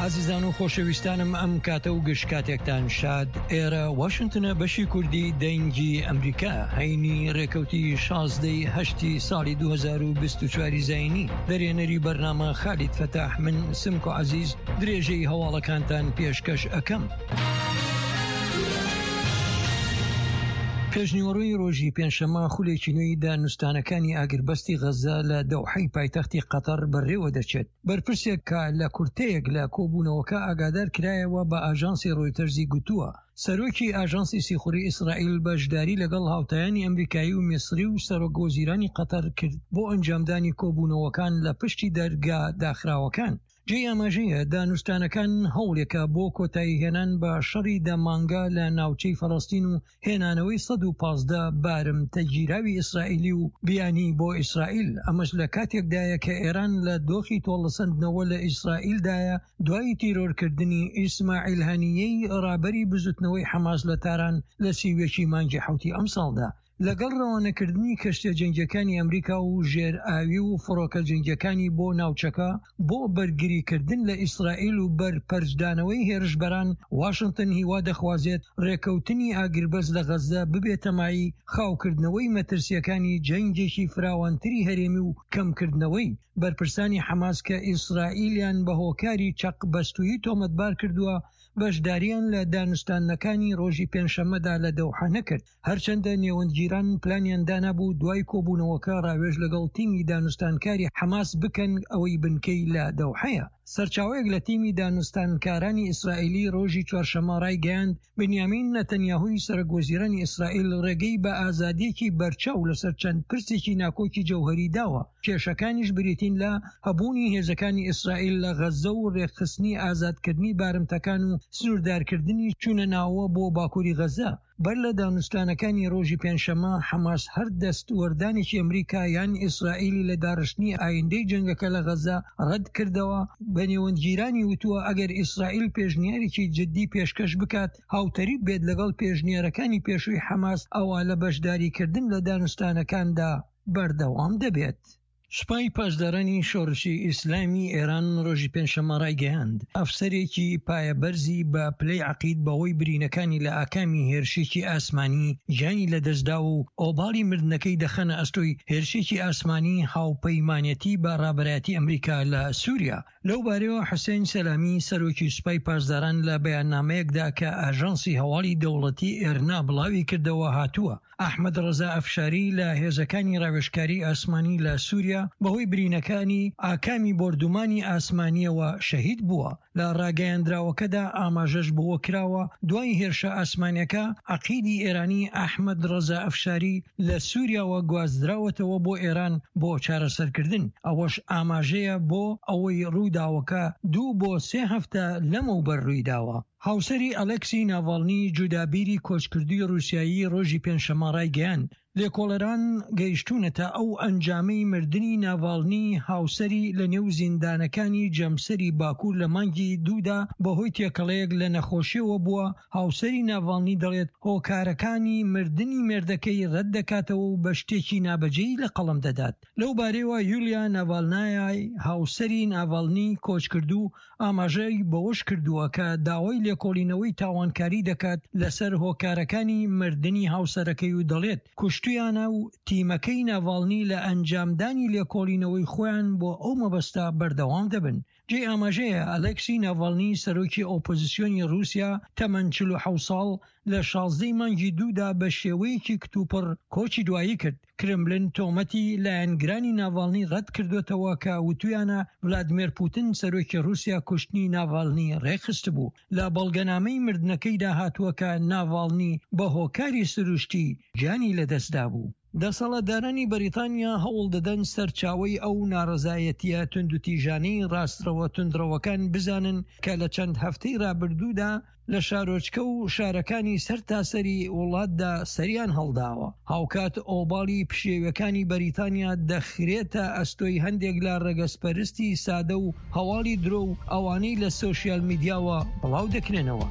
ئازیزان و خۆشەویستانم ئەم کاتە و گشت کاتێکتان شاد ئێرە واشنتنە بەشی کوردی دەنگی ئەمریکا هەینی ڕێکەوتی شازدەی هەشتی ساڵی 2024 زینی دەرێنەری بەرنامە خالید فەتاح من سمکۆ عەزیز درێژەی هەواڵەکانتان پێشکەش ئەکەم. پێشنیوەڕۆی ڕۆژی پێنجشەممە خولێکی نوێی دانوستانەکانی ئاگربەستی غەززە لە دەوحەی پایتەختی قەتەر بەڕێوە دەچێت. بەرپرسێک کە لە کورتەیەک لە کۆبوونەوەکە ئاگادار کرایەوە بە ئاژانسی ڕۆیتەرزی گوتووە، سەرۆکی ئاژانسی سیخوڕی ئیسرائیل بەشداری لەگەڵ هاوتایانی ئەمریکایی و میسری و سەرۆک وەزیرانی قەتەر کرد بۆ ئەنجامدانی کۆبوونەوەکان لە پشتی دەرگا داخراوەکان. جێی ئاماژەیە دانوستانەکان هەوڵێکە بۆ کۆتاییهێنان بە شەڕی دە مانگە لە ناوچەی فەلەستین و هێنانەوەی 115 بارمتە گیراوی ئیسرائیلی و بیانی بۆ ئیسرائیل، ئەمەش لە کاتێکدایە کە ئێران لە دۆخی تۆڵەسەندنەوە لە ئیسرائیلدایە دوای تیرۆرکردنی ئیسماعیل هەنییەی ڕابەری بزوتنەوەی حەماس لە تاران لە 31 ی مانگی حەوتی ئەمساڵدا. لەگەڵ ڕەوانەکردنی کەشتیە جەنگیەکانی ئەمریکا و ژێر ئاوی و فڕۆکە جەنگیەکانی بۆ ناوچەکە بۆ بەرگریکردن لە ئیسرائیل و بەرپەرچدانەوەی هێرشبەران، واشنتن هیوا دەخوازێت ڕێکەوتنی ئاگربەست لە غەززە ببێتە مایەی خاوکردنەوەی مەترسیەکانی جەنگێکی فراوانتری هەرێمی و کەمکردنەوەی بەرپرسانی حەماس کە ئیسرائیلیان بە هۆکاری چەقبەستوویی تۆمەتبار کردووە بەشداریان لە دانوستاندنەکانی ڕۆژی پێنجشەممەدا لە دەوحە نەکرد. هەرچەندە نێوەندگیران پلانیان دانابوو دوای کۆبوونەوەکە ڕاوێژ لەگەڵ تیمی دانوستانکاری حەماس بکەن ئەوەی بنکەی لە دەوحەیە. سەرچاوەیەک لە تیمی دانوستانکارانی ئیسرائیلی ڕۆژی چوارشەممە ڕایگەیاند، بنیامین نەتەنیاهوی سەرۆکوەزیرانی ئیسرائیل ڕێگەی بە ئازادییەکی بەرچاو لەسەر چەند پرسێکی ناکۆکی جەوهەری داوە، کێشەکانیش بریتین لە هەبوونی هێزەکانی ئیسرائیل لە غەززە و ڕێکخستنی ئازادکردنی بارمتەکان و سنووردارکردنی چوونە ناوەوە بۆ باکووری غەززە. بەر لە دانوستانەکانی ڕۆژی پێنجشەممە، حەماس هەر دەستوەردانێکی ئەمریکا یان ئیسرائیلی لە داڕشتنی ئایندەی جەنگەکە لە غەززە ڕەتکردەوە، بە نێوەندگیرانی وتووە ئەگەر ئیسرائیل پێشنیارێکی جددی پێشکەش بکات هاوتەریب بێت لەگەڵ پێشنیارەکانی پێشووی حەماس ئەوا لە بەشداریکردن لە دانوستانەکاندا بەردەوام دەبێت. سوپای پاسدارانی شۆڕشی ئیسلامی ئێران ڕۆژی پێنجشەممە ڕایگەیاند، ئەفسەرێکی پایەبەرزی بە پلەی عەقید بەهۆی برینەکانی لە ئاکامی هێرشێکی ئاسمانی گیانی لەدەستداوە و ئۆباڵی مردنەکەی دەخەنە ئەستۆی هێرشێکی ئاسمانی هاوپەیمانێتی بە ڕابەرایەتی ئەمریکا لە سوریا. لەو بارەیەوە حوسێن سەلامی سەرۆکی سوپای پاسداران لە بەیاننامەیەکدا کە ئاژانسی هەواڵی دەوڵەتی ئێرنا بڵاوی کردەوە هاتووە، ئەحمەد ڕەزا ئەفشاری لە هێزەکانی ڕاوێژکاری ئاسمانی لە سووریا بەهۆی برینەکانی ئاکامی بۆردومانی ئاسمانییەوە شەهید بووە. لە ڕاگەیەندراوەکەدا ئاماژەش بەوە کراوە، دوای هێرشە ئاسمانیەکە عەقیدی ئێرانی ئەحمەد ڕەزا ئەفشاری لە سووریاوە گواستراوەتەوە بۆ ئێران بۆ چارەسەرکردن، ئەوەش ئاماژەیە بۆ ئەوەی ڕووداوەکە دوو بۆ سێ هەفتە لەمەوبەر ڕوویداوە. هاوسەری ئەلێکسی ناڤاڵنی جودابیری کۆچکردووی ڕووسیایی ڕۆژی پێنجشەممە ڕایگەیاند، لێکۆڵەران گەیشتوونەتە ئەو ئەنجامەی مردنی ناڤاڵنی هاوسەری لەنێو زیندانەکانی جەمسەری باکوور لە مانگی دوودا بەهۆی تێکەڵەیەک لە نەخۆشیەوە بووە، هاوسەری ناڤاڵنی دەڵێت هۆکارەکانی مردنی مێردەکەی ڕەتدەکاتەوە و بە شتێکی نابەجێی لەقەڵەم دەدات. لەو بارەیەوە یولیا ناڤالنایای هاوسەری ناڤالنی کۆچکردوو ئاماژەی بەوەشکردووە کە داوای لێکۆڵینەوەی تاوانکاری دەکات لەسەر هۆکارەکانی مردنی هاوسەرەکەی و دەڵێت کوشتویانە و تیمەکەی ناڤالنی لە ئەنجامدانی لێکۆڵینەوەی خۆیان بۆ ئەو مەبەستە بەردەوام دەبن. جێی ئاماژەیە ئەلێکسی ناڤالنی سەرۆکی ئۆپۆزسیۆنی ڕووسیا تەمەن 47 ساڵ لە 16 ی مانگی دوودا بە شێوەیەکی کتوپڕ کۆچی دوایی کرد. کرملن تۆمەتی لایەنگرانی ناڤالنی ڕەتکردۆتەوە کە وتویانە ڤلادیمێر پوتن سەرۆکی ڕووسیا کوشتنی ناڤالنی ڕێکخستبوو. لە بەڵگەنامەی مردنەکەیدا هاتووە کە ناڤالنی بە هۆکاری سروشتی گیانی لەدەستدابوو. دەسەڵاتدارانی بەریتانیا هەوڵ دەدەن سەرچاوەی ئەو ناڕەزایەتییە توندوتیژانەی ڕاستڕەوە توندڕەوەکان بزانن کە لە چەند هەفتەی ڕابردوودا لە شارۆچکە و شارەکانی سەرتاسەری وڵاتدا سەریان هەڵداوە. هاوکات ئۆباڵی پشێویەکانی بەریتانیا دەخرێتە ئەستۆی هەندێک لە ڕەگەزپەرستی سادە و هەواڵی درۆ و ئەوانەی لە سۆشیال میدیاوە بڵاو دەکرێنەوە.